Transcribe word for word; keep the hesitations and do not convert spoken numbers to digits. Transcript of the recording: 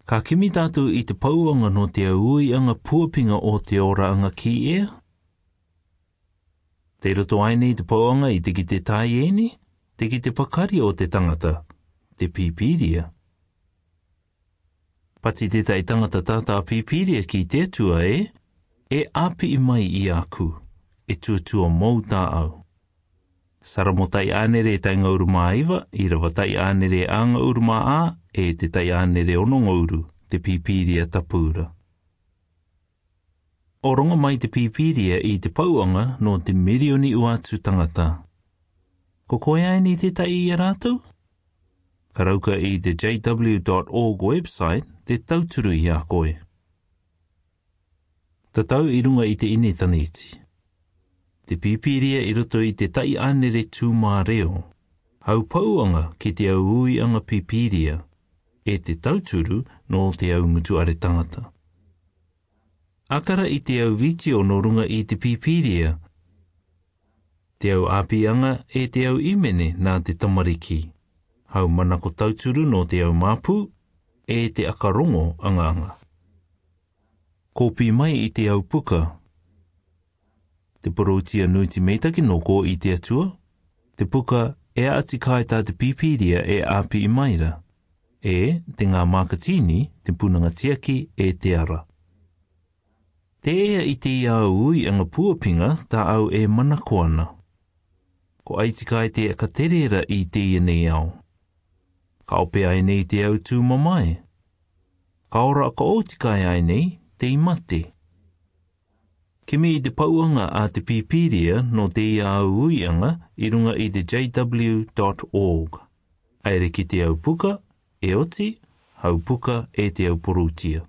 Ka kimi tātou i te pauanga no te auianga puapinga o te ora anga ki ea? Te roto ai nei te pauanga i te ki te taieni, te ki te pakari o te tangata, te pīpīria. Pati te tai tangata tātā pīpīria ki te tua e, e api i mai i aku, e tuatua mou tā au. Saramo tai ānere tai ngauru mā iwa, i rawa tai ānere a ngauru mā a, e te tai ānere ono ngauru, te pīpīria tapūra. O rongo mai te pīpīria i te pauanga no te mirioni uatu tangata. Ko koe ai ni te tai i a rātou? Karauka i te J W dot org website te tauturu i a koe. Tatau i runga i te initaneti. Te pīpīria i roto i te tai ānere tūmā reo. Hau pauanga ki te auui anga pīpīria, e te tauturu no te au ngutu are tangata. Akara i te au vitio no runga i te pīpīria, te au āpianga e te au imene nā te tamariki. Hau manako tauturu no te au māpū, e te akarongo anga anga. Kōpi mai i te au puka. Te poroutia nuiti meitaki no ko i te atua, te puka e ati kai tā te pīpīria e āpi i maira, e te ngā mākatīni, te punanga tiaki e te ara. Te ea i te iau ui anga puapinga tā au e manako ana. Ko aiti kai te katerera i te ia nei au. Ka ope ai nei te au tū mamae. Ka ora ka oti kai ai nei te i mate. Kimi i te pauanga a te pīpīria no te ia au uianga i runga i te J W dot org. Aere ki te au puka, e oti, hau puka e te au poroutia.